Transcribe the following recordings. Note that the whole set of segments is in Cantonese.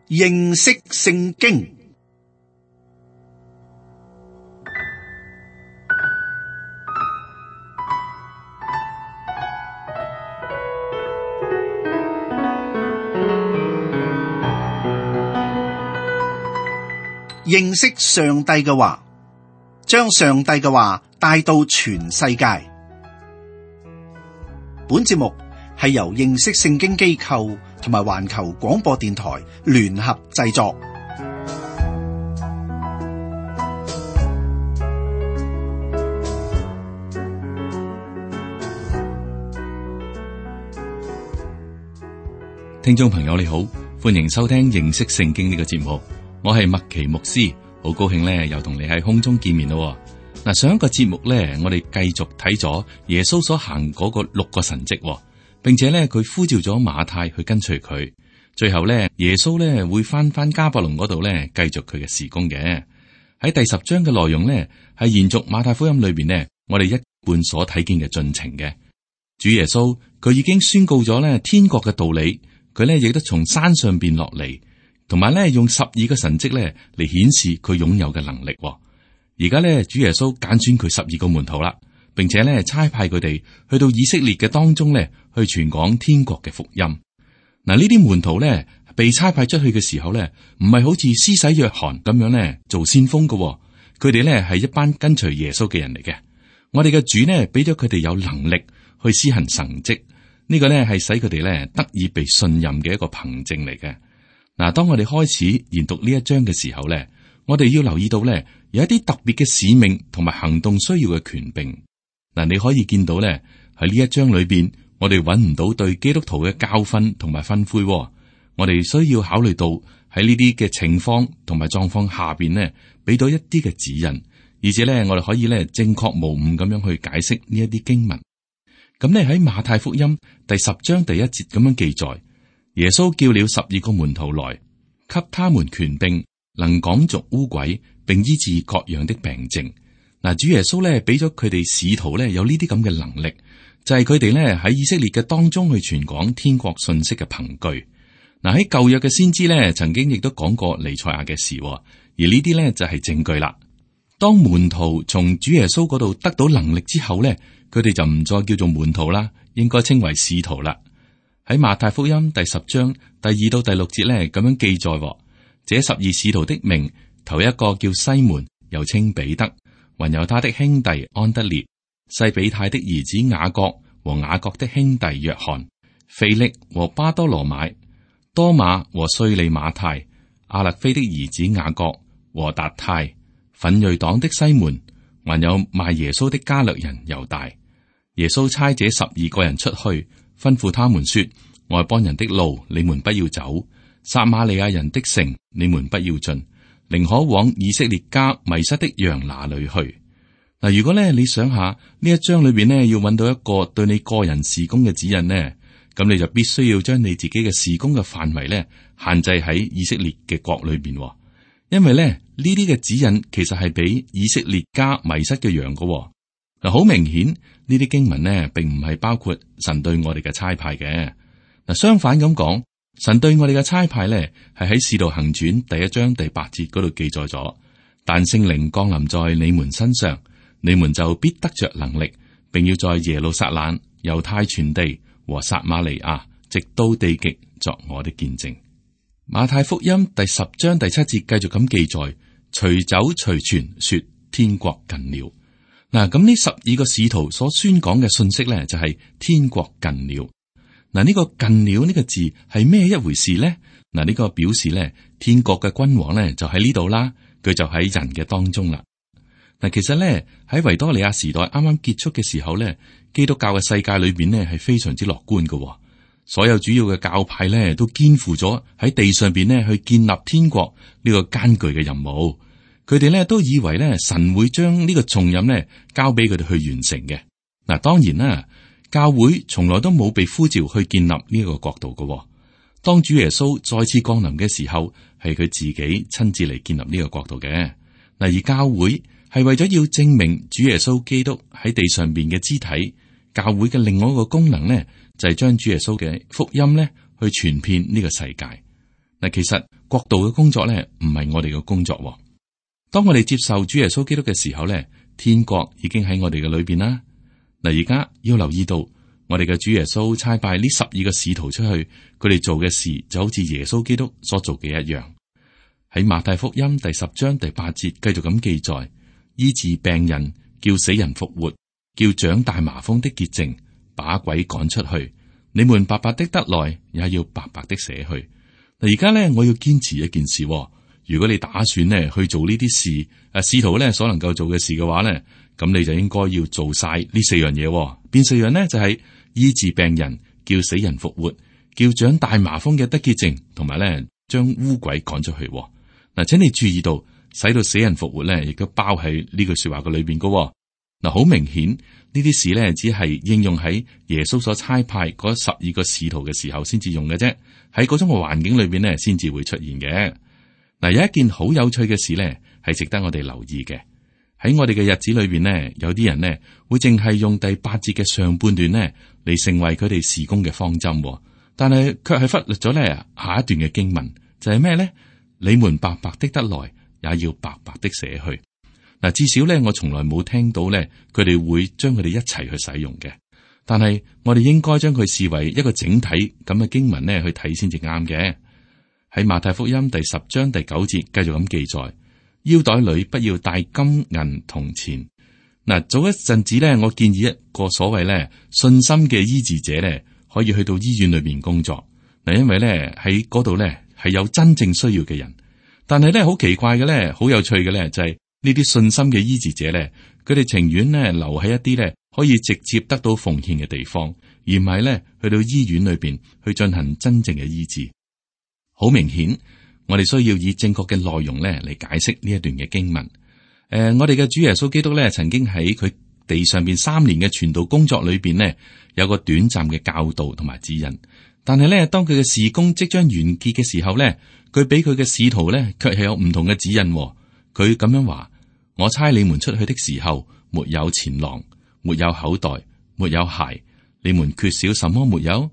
認識聖經。認識上帝嘅話，將上帝嘅話帶到全世界。本節目係由認識聖經機構同埋環球廣播電台聯合製作。聽眾朋友你好，歡迎收聽認識聖經呢個節目。我係麥奇牧師，好高興咧，又同你喺空中見面咯。嗱，上一個節目咧，我哋繼續睇咗耶穌所行嗰個6個神蹟，並且咧佢呼召咗馬太去跟隨佢。最後咧，耶穌咧會翻迦百農嗰度咧，繼續佢嘅事工嘅。喺第10章嘅內容咧，係延續馬太福音裏邊呢，我哋一貫所睇見嘅進程嘅。主耶穌佢已經宣告咗咧天國嘅道理，佢咧亦都從山上邊落嚟。同埋咧，用12個神蹟咧嚟顯示佢擁有嘅能力。而家咧，主耶穌揀選佢12個門徒啦，並且咧差派佢哋去到以色列嘅當中咧，去傳講天國嘅福音。嗱，呢啲門徒咧被差派出去嘅時候咧，唔係好似施洗約翰咁樣咧做先鋒嘅，佢哋咧係一班跟隨耶穌嘅人嚟嘅。我哋嘅主呢，俾咗佢哋有能力去施行神蹟，呢個咧係使佢哋咧得以被信任嘅一個憑證嚟嘅。嗱，當我哋開始研讀呢一章嘅時候咧，我哋要留意到咧，有一啲特別嘅使命同埋行動需要嘅權柄。嗱，你可以見到咧喺呢一章裏邊，我哋揾唔到對基督徒嘅教訓同埋吩咐。我哋需要考慮到喺呢啲嘅情況同埋狀況下邊呢，俾到一啲嘅指引，而且咧我哋可以咧正確無誤咁樣去解釋呢一啲經文。咁咧喺馬太福音第10章第1節咁樣記載。耶穌叫了12個門徒來，給他們權柄，能趕逐污鬼，並醫治各樣的病症。嗱，主耶穌咧俾咗佢哋使徒咧有呢啲咁嘅能力，就係佢哋咧喺以色列嘅當中去傳講天國信息嘅憑據。嗱，喺舊約嘅先知咧曾經亦都講過彌賽亞嘅事，而呢啲咧就係證據啦。當門徒從主耶穌嗰度得到能力之後咧，佢哋就唔再叫做門徒啦，應該稱為使徒啦。喺馬太福音第10章第2到第6節咧，咁樣記載：這12使徒的名，頭一個叫西門，又稱彼得，還有他的兄弟安德烈、西比泰的兒子雅各和雅各的兄弟約翰、腓力和巴多羅買、多馬和稅吏馬太、亞勒菲的兒子雅各和達太、奮銳黨的西門，還有賣耶穌的加略人猶大。耶穌差這12個人出去，吩咐他們說：外邦人的路你們不要走，撒瑪利亞人的城你們不要進，寧可往以色列家迷失的羊那裏去。嗱，如果咧你想下呢一章裏邊呢，要揾到一個對你個人事工嘅指引呢，咁你就必須要將你自己嘅事工嘅範圍咧限制喺以色列嘅國裏邊，因為咧呢啲嘅指引其實係俾以色列家迷失嘅羊嘅。嗱，好明顯呢啲經文呢，並唔係包括神對我哋嘅差派嘅。嗱，相反咁講，神對我哋嘅差派呢，係喺《使徒行傳》第1章第8節嗰度記載咗。但聖靈降臨在你們身上，你們就必得着能力，並要在耶路撒冷、猶太全地和撒瑪利亞，直到地極，作我的見證。馬太福音第10章第7節繼續咁記載：隨走隨傳，說天國近了。嗱，咁呢12個使徒所宣講嘅信息咧，就係天國近了。嗱，呢個近了呢個字係咩一回事咧？嗱，呢個表示咧，天國嘅君王咧就喺呢度啦，佢就喺人嘅當中啦。嗱，其實咧喺維多利亞時代啱啱結束嘅時候咧，基督教嘅世界裏邊咧係非常之樂觀嘅，所有主要嘅教派咧都肩負咗喺地上邊咧去建立天國呢個艱巨嘅任務。佢哋咧都以為咧神會將呢個重任咧交俾佢哋去完成嘅。嗱，當然啦，教會從來都冇被呼召去建立呢一個國度嘅。當主耶穌再次降臨嘅時候，係佢自己親自嚟建立呢個國度嘅。嗱，而教會係為咗要證明主耶穌基督喺地上邊嘅肢體。教會嘅另外一個功能咧，就係將主耶穌嘅福音咧去傳遍呢個世界。嗱，其實國度嘅工作咧，唔係我哋嘅工作。當我哋接受主耶穌基督嘅時候咧，天國已經喺我哋嘅裏邊啦。嗱，而家要留意到，我哋嘅主耶穌差派呢12個使徒出去，佢哋做嘅事就好似耶穌基督所做嘅一樣。喺馬太福音第10章第8節繼續咁記載：醫治病人，叫死人復活，叫長大麻風的潔淨，把鬼趕出去。你們白白的得來，也要白白的捨去。嗱，而家咧，我要堅持一件事。如果你打算咧去做呢啲事，使徒咧所能夠做嘅事嘅話咧，咁你就應該要做晒呢4樣嘢。邊4樣呢？就係醫治病人，叫死人復活，叫長大麻風嘅得潔淨，同埋咧將污鬼趕出去。嗱，請你注意到，使到死人復活咧，亦都包喺呢句說話嘅裏邊噶。嗱，好明顯呢啲事咧，只係應用喺耶穌所差派嗰12個使徒嘅時候先至用嘅啫，喺嗰種嘅環境裏邊咧，先至會出現嘅。嗱，有一件好有趣嘅事咧，係值得我哋留意嘅。喺我哋嘅日子裏邊呢，有啲人呢會淨係用第8節嘅上半段呢嚟成為佢哋事工嘅方針，但係卻係忽略咗咧下一段嘅經文，就係咩呢？你們白白的得來，也要白白的捨去。嗱，至少咧，我從來冇聽到咧，佢哋會將佢哋一齊去使用嘅。但係我哋應該將佢視為一個整體咁嘅經文咧去睇先至啱嘅。喺馬太福音第10章第9節繼續咁記載：腰袋裏不要帶金銀銅錢。嗱，早一陣子咧，我建議一個所謂咧信心嘅醫治者咧，可以去到醫院裏邊工作。嗱，因為咧喺嗰度咧係有真正需要嘅人。但係咧好奇怪嘅咧，好有趣嘅咧就係呢啲信心嘅醫治者咧，佢哋情願咧留喺一啲咧可以直接得到奉獻嘅地方，而唔係咧去到醫院裏邊去進行真正嘅醫治。好明顯，我哋需要以正確嘅內容咧嚟解釋呢一段嘅經文。我哋嘅主耶穌基督咧，曾經喺佢地上邊3年嘅傳道工作裏邊呢，有個短暫嘅教導同埋指引。但係咧，當佢嘅事工即將完結嘅時候咧，佢俾佢嘅使徒咧，卻係有唔同嘅指引。佢咁樣話：我差你們出去的時候，沒有錢囊，沒有口袋，沒有鞋，你們缺少什麼沒有？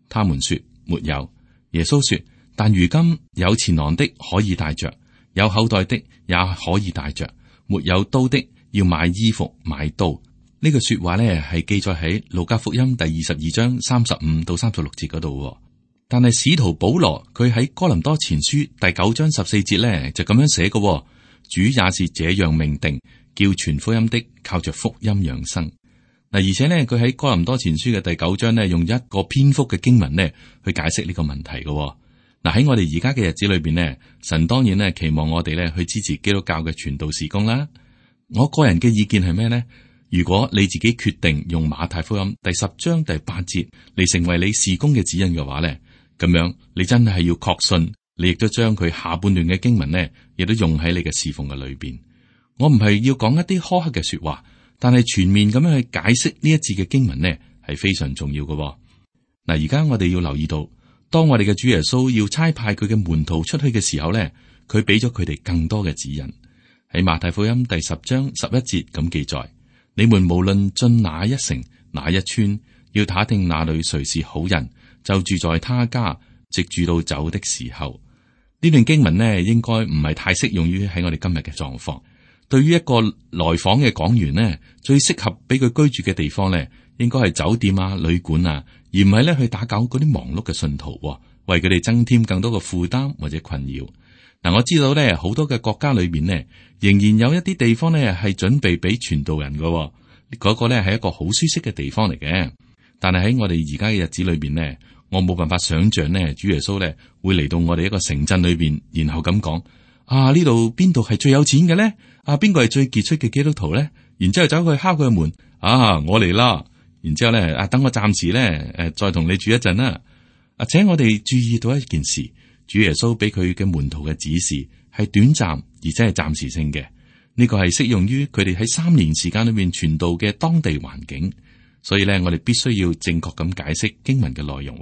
他們說沒有。耶穌說：但如今有錢囊的可以帶着，有口袋的也可以帶着，沒有刀的要買衣服買刀。呢個說話咧係記載喺路加福音第22章35到36節嗰度。但係使徒保羅佢喺哥林多前書第9章14節咧就咁樣寫嘅：主也是這樣命定，叫傳福音的靠着福音養生。嗱，而且呢，佢喺哥林多前書嘅第9章呢，用一個篇幅嘅經文呢去解釋呢個問題嘅。嗱，喺我哋而家嘅日子裏邊呢，神當然呢期望我哋呢去支持基督教嘅傳道事工啦。我個人嘅意見係咩呢？如果你自己決定用馬太福音第10章第8節嚟成為你事工嘅指引嘅話呢，咁樣你真係要確信，你亦都將佢下半段嘅經文呢，亦都用喺你嘅侍奉嘅裏邊。我唔係要講一啲苛刻嘅說話，但係全面咁樣去解釋呢一節嘅經文呢，係非常重要嘅。嗱，而家我哋要留意到，當我哋嘅主耶穌要差派佢嘅門徒出去嘅時候呢，佢俾咗佢哋更多嘅指引。喺馬太福音第10章11節咁記載：你們無論進哪一城哪一村，要打聽那裏誰是好人，就住在他家，直住到走的時候。呢段經文呢，應該唔係太適用於喺我哋今日嘅狀況。對於一個來訪嘅講員呢，最適合俾佢居住嘅地方呢，應該係酒店啊、旅館啊，而唔係咧去打攪嗰啲忙碌嘅信徒，為佢哋增添更多嘅負擔或者困擾。嗱，我知道咧，好多嘅國家裏邊呢，仍然有一啲地方呢係準備俾傳道人嘅，嗰個呢係一個好舒適嘅地方嚟嘅。但係喺我哋而家嘅日子裏邊呢，我冇辦法想象呢，主耶穌呢會嚟到我哋一個城鎮裏邊，然後咁講：啊，呢度邊度係最有錢嘅呢？啊，邊個係最傑出嘅基督徒呢？然之後走去敲佢嘅門：啊，我嚟啦！然之後咧，等我暫時咧，再同你住一陣啦。請我哋注意到一件事，主耶穌俾佢嘅門徒嘅指示係短暫，而且係暫時性嘅。呢個係適用於佢哋喺3年時間裏面傳道嘅當地環境。所以咧，我哋必須要正確咁解釋經文嘅內容。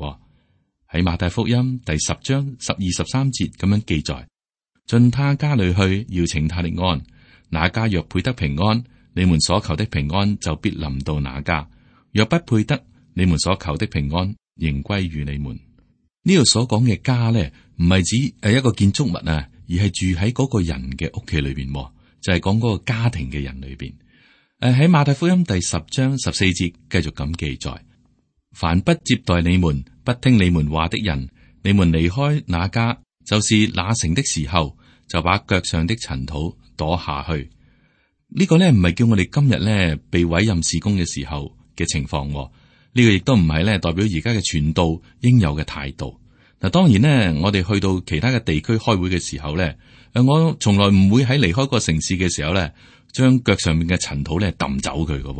喺馬太福音第10章12、13節咁樣記載：進他家裏去，要請他的安。那家若配得平安，你們所求的平安就必臨到那家；若不配得，你們所求的平安仍歸於你們。呢度所講嘅家呢，唔係指一個建築物啊，而係住喺嗰個人嘅屋企裏邊，就係講嗰個家庭嘅人裏邊。喺馬太福音第10章14節繼續咁記載：凡不接待你們、不聽你們話的人，你們離開那家，就是那城的時候，就把腳上的塵土跺下去。呢個咧唔係叫我哋今日咧被委任事工嘅時候嘅情況，呢個亦都唔係咧代表而家嘅傳道應有嘅態度。嗱，當然咧，我哋去到其他嘅地區開會嘅時候咧，我從來唔會喺離開個城市嘅時候咧，將腳上面嘅塵土咧抌走佢嘅。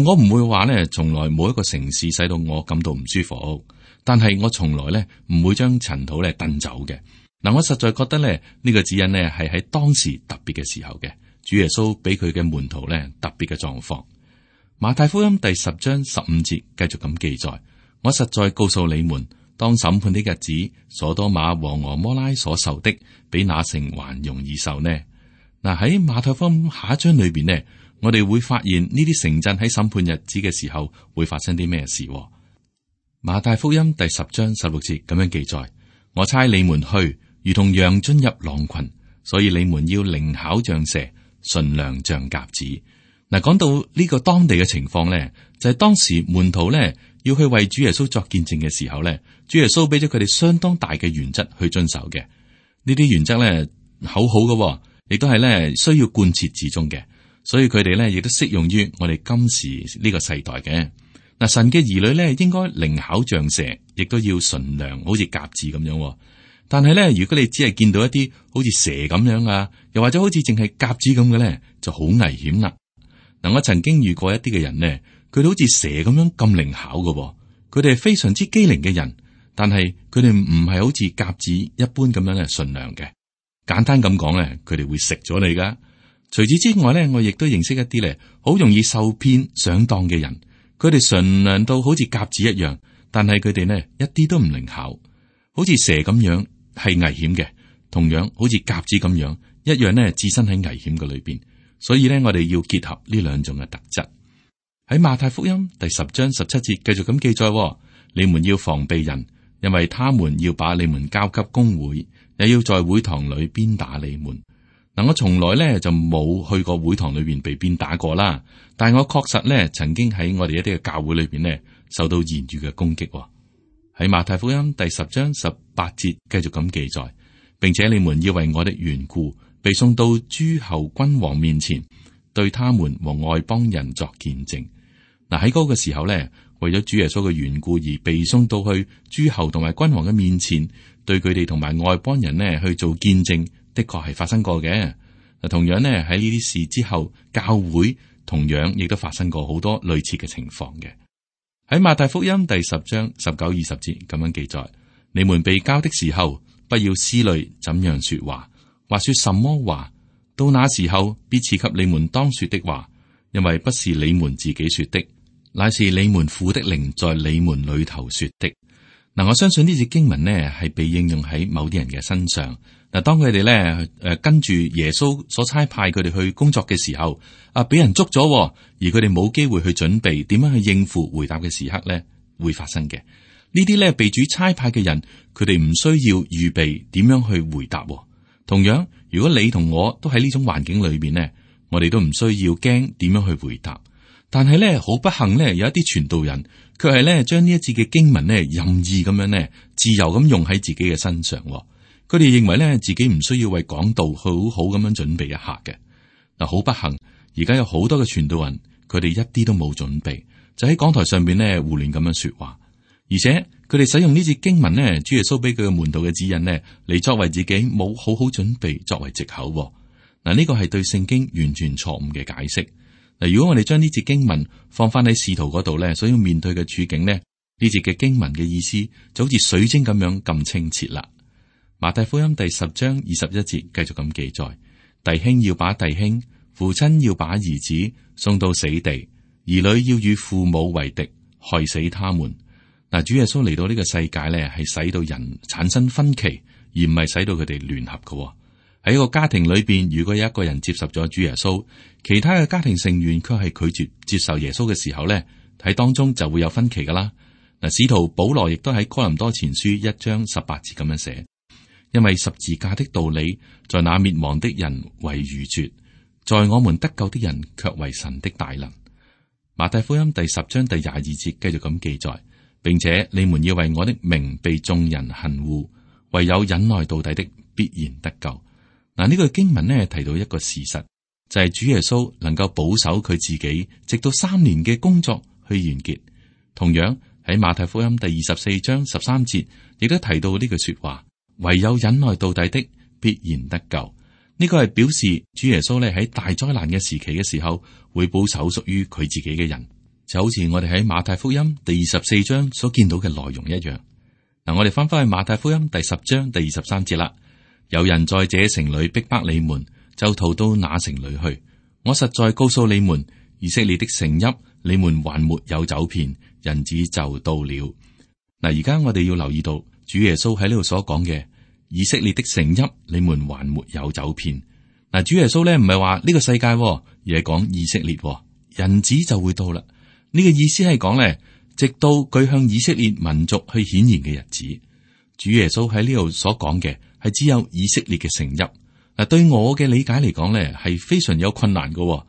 我唔會話咧，從來冇一個城市使到我感到唔舒服，但係我從來咧唔會將塵土咧掟走嘅。嗱，我實在覺得咧呢個指引咧係喺當時特別嘅時候嘅，主耶穌俾佢嘅門徒咧特別嘅狀況。馬太福音第10章15節繼續咁記載：我實在告訴你們，當審判的日子，所多瑪和俄摩拉所受的，比那城還容易受呢。嗱，喺馬太福音下一章裏邊呢，我哋會發現呢啲城鎮喺審判日子嘅時候會發生啲咩事。馬太福音第10章16節咁樣記載：我差你們去，如同羊進入狼群，所以你們要靈巧像蛇，馴良像鴿子。嗱，講到呢個當地嘅情況咧，就係當時門徒咧要去為主耶穌作見證嘅時候咧，主耶穌俾咗佢哋相當大嘅原則去遵守嘅。呢啲原則咧好好嘅，亦都係咧需要貫徹至終嘅。所以佢哋咧亦都適用於我哋今時呢個世代嘅。嗱，神嘅兒女咧應該靈巧像蛇，亦都要馴良，好似鴿子咁樣。但係咧，如果你只係見到一啲好似蛇咁樣啊，又或者好似淨係鴿子咁嘅咧，就好危險啦。嗱，我曾經遇過一啲嘅人呢，佢哋好似蛇咁樣咁靈巧嘅，佢哋係非常之機靈嘅人，但係佢哋唔係好似鴿子一般咁樣咧馴良嘅。簡單咁講咧，佢哋會食咗你噶。除此之外咧，我亦都認識一啲咧，好容易受騙上當嘅人，佢哋馴良到好似鴿子一樣，但係佢哋呢一啲都唔靈巧，好似蛇咁樣係危險嘅，同樣好似鴿子咁樣一樣呢置身喺危險嘅裏邊。所以咧，我哋要結合呢兩種嘅特質。喺馬太福音第10章17節繼續咁記載：你們要防備人，因為他們要把你們交給公會，也要在會堂裏鞭打你們。嗱，我從來咧就冇去過會堂裏邊被鞭打過啦，但係我確實咧曾經喺我哋一啲嘅教會裏邊咧受到言語嘅攻擊。喺馬太福音第10章18節繼續咁記載，並且你們要為我的緣故被送到諸侯君王面前，對他們和外邦人作見證。嗱，喺嗰個時候咧，為咗主耶穌嘅緣故而被送到去諸侯同埋君王嘅面前，對佢哋同埋外邦人呢去做見證，的確係發生過嘅。嗱，同樣呢，喺呢啲事之後，教會同樣亦都發生過好多類似嘅情況嘅。喺馬太福音第10章19、20節咁樣記載：你們被交的時候，不要思慮怎樣說話。或說什麼話，到那時候必賜給你們當說的話，因為不是你們自己說的，乃是你們父的靈在你們裏頭說的。嗱，我相信呢節經文呢係被應用喺某啲人嘅身上。嗱，當佢哋咧跟住耶穌所差派佢哋去工作嘅時候，俾人捉咗，而佢哋冇機會去準備點樣去應付回答嘅時刻咧，會發生嘅。呢啲咧被主差派嘅人，佢哋唔需要預備點樣去回答。同樣，如果你同我都喺呢種環境裏邊呢，我哋都唔需要驚點樣去回答。但係咧，好不幸咧，有一啲傳道人，卻係咧將呢一節嘅經文咧任意咁樣咧自由咁用喺自己嘅身上。佢哋認為咧自己唔需要為講道好好咁樣準備一下嘅。嗱，好不幸，而家有好多嘅傳道人，佢哋一啲都冇準備，就喺講台上邊咧胡亂咁樣說話。而且佢哋使用呢節經文呢，主耶穌俾佢嘅門徒嘅指引呢，嚟作為自己冇好好準備作為藉口。嗱，呢個係對聖經完全錯誤嘅解釋。嗱，如果我哋將呢節經文放翻喺使徒嗰度咧，所要面對嘅處境呢，呢節嘅經文嘅意思就好似水晶咁樣咁清澈啦。馬太福音第10章21節繼續咁記載：弟兄要把弟兄，父親要把兒子送到死地，兒女要與父母為敵，害死他們。嗱，主耶穌嚟到呢個世界咧，係使到人產生分歧，而唔係使到佢哋聯合嘅。喺一個家庭裏邊，如果有一個人接受咗主耶穌，其他嘅家庭成員卻係拒絕接受耶穌嘅時候咧，喺當中就會有分歧噶啦。嗱，使徒保羅亦都喺哥林多前書1章18節咁樣寫：因為十字架的道理，在那滅亡的人為愚拙，在我們得救的人卻為神的大能。馬太福音第10章第22節繼續咁記載，並且你們要為我的名被眾人恨惡，唯有忍耐到底的必然得救。嗱，呢個經文呢提到一個事實，就係主耶穌能夠保守佢自己，直到3年嘅工作去完結。同樣喺馬太福音第24章13節，亦都提到呢句說話：唯有忍耐到底的必然得救。呢個係表示主耶穌咧喺大災難嘅時期嘅時候，會保守屬於佢自己嘅人，就好似我哋喺馬太福音第24章所見到嘅內容一樣。嗱，我哋翻返去馬太福音第10章第23節啦。有人在這城裏逼迫你們，就逃到那城裏去。我實在告訴你們，以色列的城邑，你們還沒有走遍，人子就到了。嗱，而家我哋要留意到主耶穌喺呢度所講嘅以色列的城邑，你們還沒有走遍。嗱，主耶穌咧唔係話呢個世界，而係講以色列，人子就會到啦。呢個意思係講咧，直到佢向以色列民族去顯現嘅日子。主耶穌喺呢度所講嘅係只有以色列嘅城邑。嗱，對我嘅理解嚟講咧，係非常有困難嘅。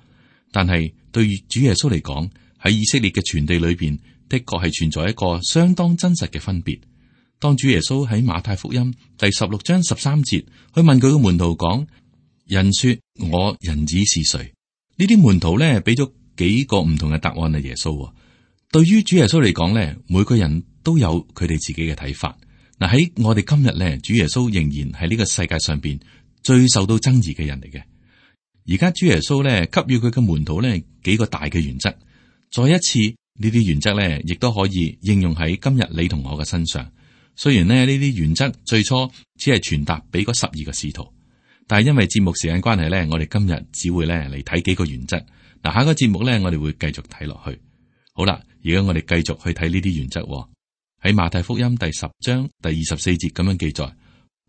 但係對主耶穌嚟講，喺以色列嘅全地裏邊，的確係存在一個相當真實嘅分別。當主耶穌喺馬太福音第16章13節去問佢嘅門徒講：人說我人子是誰？呢啲門徒咧俾咗幾個唔同嘅答案啊。耶穌對於主耶穌嚟講咧，每個人都有佢哋自己嘅睇法。嗱，喺我哋今日咧，主耶穌仍然係呢個世界上邊最受到爭議嘅人嚟嘅。而家主耶穌咧給予佢嘅門徒咧幾個大嘅原則，再一次呢啲原則咧亦都可以應用喺今日你同我嘅身上。雖然呢啲原則最初只係傳達俾嗰12個使徒，但係因為節目時間關係咧，我哋今日只會咧嚟睇幾個原則。嗱，下一個節目咧，我哋會繼續睇落去。好啦，而家我哋繼續去睇呢啲原則。喺馬太福音第10章第24節咁樣記載：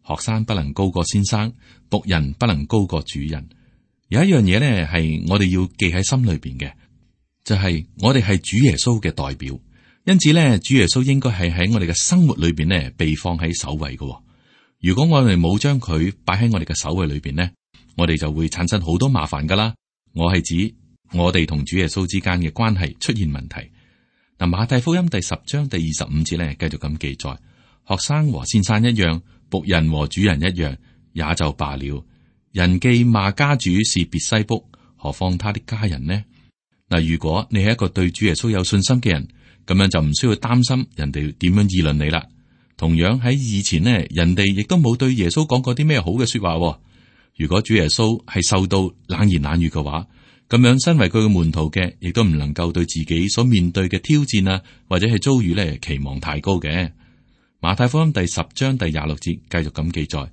學生不能高過先生，僕人不能高過主人。有一樣嘢咧係我哋要記喺心裏邊嘅，就係我哋係主耶穌嘅代表。因此咧，主耶穌應該係喺我哋嘅生活裏邊咧被放喺首位嘅。如果我哋冇將佢擺喺我哋嘅首位裏邊咧，我哋就會產生好多麻煩噶啦。我係指我哋同主耶穌之間嘅關係出現問題。嗱，馬太福音第10章第25節咧，繼續咁記載：學生和先生一樣，僕人和主人一樣，也就罷了。人既罵家主是別西卜，何況他的家人呢？嗱，如果你係一個對主耶穌有信心嘅人，咁樣就唔需要擔心人哋點樣議論你啦。同樣喺以前呢，人哋亦都冇對耶穌講過啲咩好嘅說話。如果主耶穌係受到冷言冷語嘅話，咁樣身為佢嘅門徒嘅，亦都唔能夠對自己所面對嘅挑戰啊，或者係遭遇呢期望太高嘅。馬太福音第10章第26節繼續咁記載：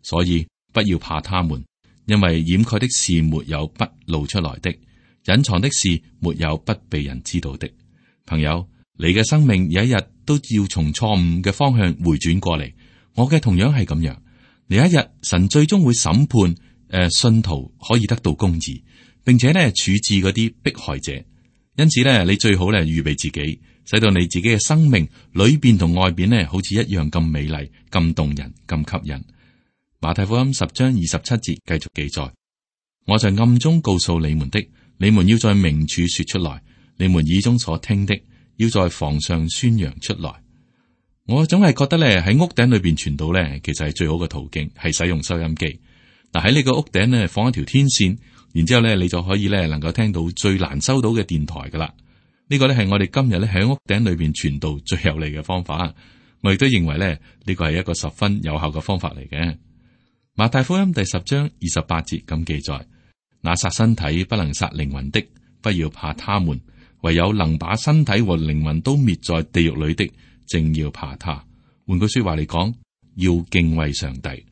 所以不要怕他們，因為掩蓋的事沒有不露出來的，隱藏的事沒有不被人知道的。朋友，你嘅生命有一日都要從錯誤嘅方向回轉過嚟。我嘅同樣係咁樣。有一日神最終會審判信徒可以得到公義，並且咧處置嗰啲迫害者。因此咧，你最好咧預備自己，使到你自己嘅生命裏邊同外邊咧好似一樣咁美麗、咁動人、咁吸引。馬太福音10章27節繼續記載：我在暗中告訴你們的，你們要在明處說出來。你們耳中所聽的，要在房上宣揚出來。我總係覺得咧，喺屋頂裏邊傳道咧，其實係最好嘅途徑，係使用收音機。嗱，喺你個屋頂咧放一條天線，然之後咧你就可以咧能夠聽到最難收到嘅電台噶啦。呢個咧係我哋今日咧喺屋頂裏邊傳道最有利嘅方法。我亦都認為咧呢個係一個十分有效嘅方法嚟嘅。馬太福音第10章28節咁記載：那殺身體不能殺靈魂的，不要怕他們。唯有能把身體和靈魂都滅在地獄裏的，正要怕他。換句說話嚟講，要敬畏上帝。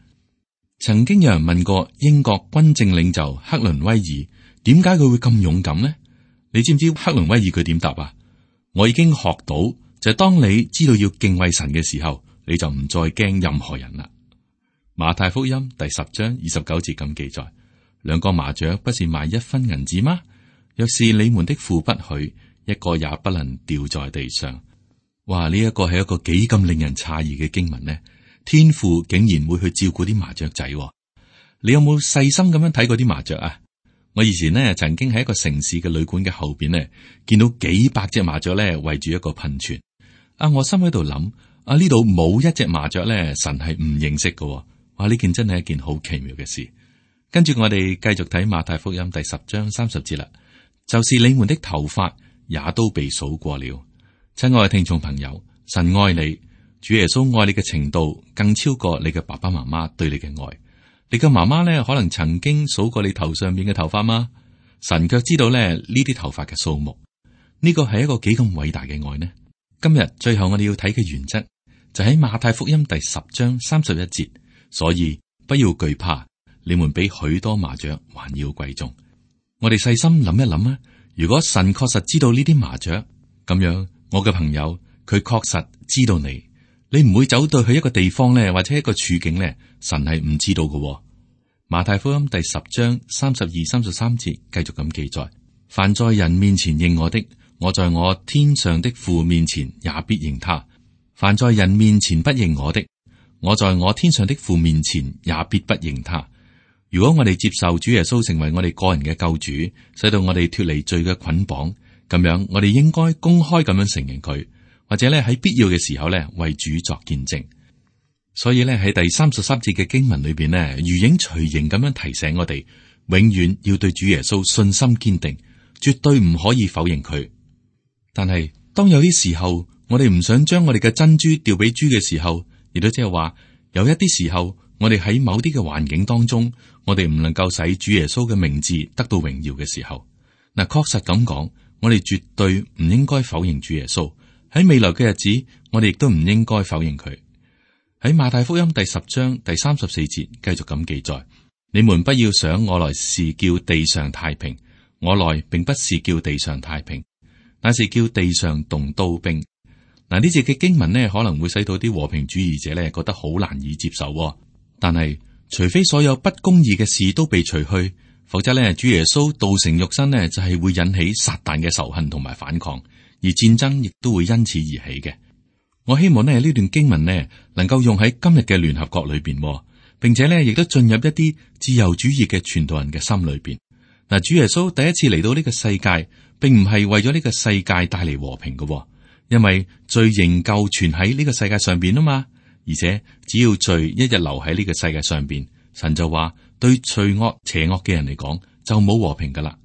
曾經有人問過英國軍政領袖克倫威爾，點解佢會咁勇敢呢？你知唔知克倫威爾佢點答啊？我已經學到，就係當你知道要敬畏神嘅時候，你就唔再驚任何人啦。馬太福音第10章29節咁記載：兩個麻雀不是賣1分銀子嗎？若是你們的父不許，一個也不能掉在地上。哇！呢一個係一個幾咁令人詫異嘅經文呢？天父竟然會去照顧啲麻雀仔。你有冇細心咁樣睇過啲麻雀啊？我以前呢曾經喺一個城市嘅旅館嘅後邊呢，見到幾百隻麻雀咧圍住一個噴泉。我心喺度諗，呢度冇一隻麻雀咧，神係唔認識嘅。哇！呢件真係一件好奇妙嘅事。跟住我哋繼續睇馬太福音第10章30節啦，就是你們的頭髮也都被數過了。親愛嘅聽眾朋友，神愛你，主耶穌愛你嘅程度更超過你嘅爸爸媽媽對你嘅愛。你嘅媽媽咧可能曾經數過你頭上面嘅頭髮嗎？神卻知道咧呢啲頭髮嘅數目。呢個係一個幾咁偉大嘅愛呢？今日最後我哋要睇嘅原則就喺馬太福音第10章31節，所以不要懼怕。你們比許多麻雀還要貴重。我哋細心諗一諗啊，如果神確實知道呢啲麻雀咁樣，我嘅朋友佢確實知道你，你唔會走到去一個地方咧，或者一個處境咧，神係唔知道嘅。馬太福音第10章32、33節繼續咁記載：凡在人面前認我的，我在我天上的父面前也必認他；凡在人面前不認我的，我在我天上的父面前也必不認他。如果我哋接受主耶穌成為我哋個人嘅救主，使到我哋脫離罪嘅捆綁，咁樣我哋應該公開咁樣承認佢，或者咧喺必要嘅時候咧為主作見證。所以咧喺第33節嘅經文裏邊呢，如影隨形咁樣提醒我哋，永遠要對主耶穌信心堅定，絕對唔可以否認佢。但係當有啲時候，我哋唔想將我哋嘅珍珠掉俾豬嘅時候，亦都即係話有一啲時候，我哋喺某啲嘅環境當中，我哋唔能夠使主耶穌嘅名字得到榮耀嘅時候，嗱，確實咁講，我哋絕對唔應該否認主耶穌。喺未來嘅日子，我哋亦都唔應該否認佢。喺馬太福音第10章第34節繼續咁記載：你們不要想我來是叫地上太平，我來並不是叫地上太平，乃是叫地上動刀兵。嗱，呢節嘅經文呢，可能會使到啲和平主義者呢覺得好難以接受。但係除非所有不公義嘅事都被除去，否則呢，主耶穌道成肉身呢，就係會引起撒旦嘅仇恨同埋反抗，而戰爭亦都會因此而起嘅。我希望呢段經文呢能夠用喺今日嘅聯合國裏邊，並且呢亦都進入一啲自由主義嘅傳道人嘅心裏邊。嗱，主耶穌第一次嚟到呢個世界，並唔係為咗呢個世界帶嚟和平嘅，因為罪仍舊存喺呢個世界上邊啊嘛。而且只要罪一日留喺呢個世界上邊，神就話對罪惡邪惡嘅人嚟講就冇和平噶啦。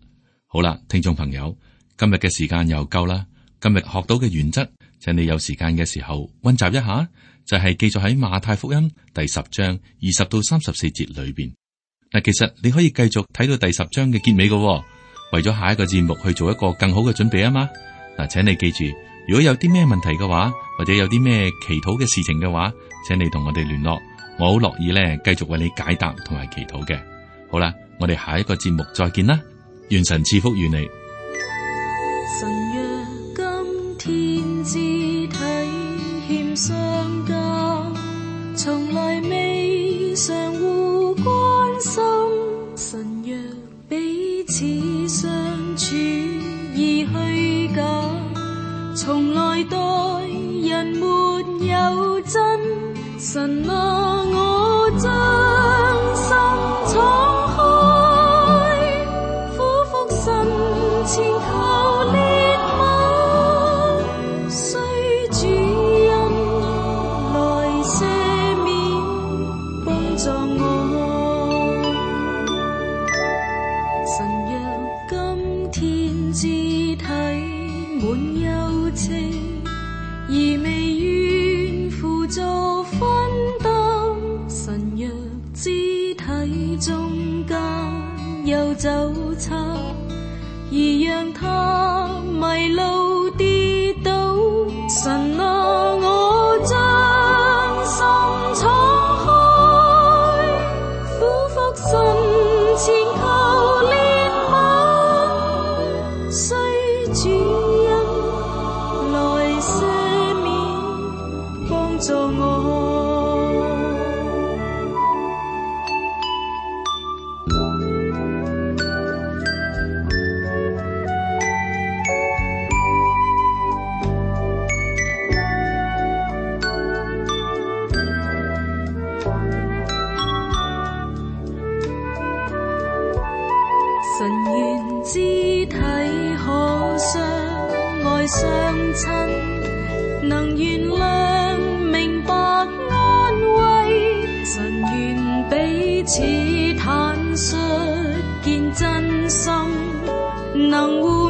好啦，聽眾朋友，今日嘅時間又夠啦。今日學到嘅原則，請你有時間嘅時候溫習一下，就係記載喺馬太福音第10章20到34節裏邊。嗱，其實你可以繼續睇到第10章嘅結尾嘅，為咗下一個節目去做一個更好嘅準備啊嘛。嗱，請你記住，如果有啲咩問題嘅話，或者有啲咩祈禱嘅事情嘅話，請你同我哋聯絡，我好樂意咧繼續為你解答同埋祈禱嘅。好啦，我哋下一個節目再見啦，願神賜福於你。神若今天肢體欠相交，從來未相互關心。神若彼此相處已虛假，從來待人沒有真。神啊，我將心敞開，俯伏身前求憐憫，需主恩來赦免幫助我。神若今天肢體滿有情，而未願輔助分擔，神若肢體中間有走差，而讓他迷路跌倒，神啊，我將心敞開，俯伏身前求憐憫，需主恩來赦免幫助我。相親，能原諒、明白、安慰，神願彼此坦率，見真心，能互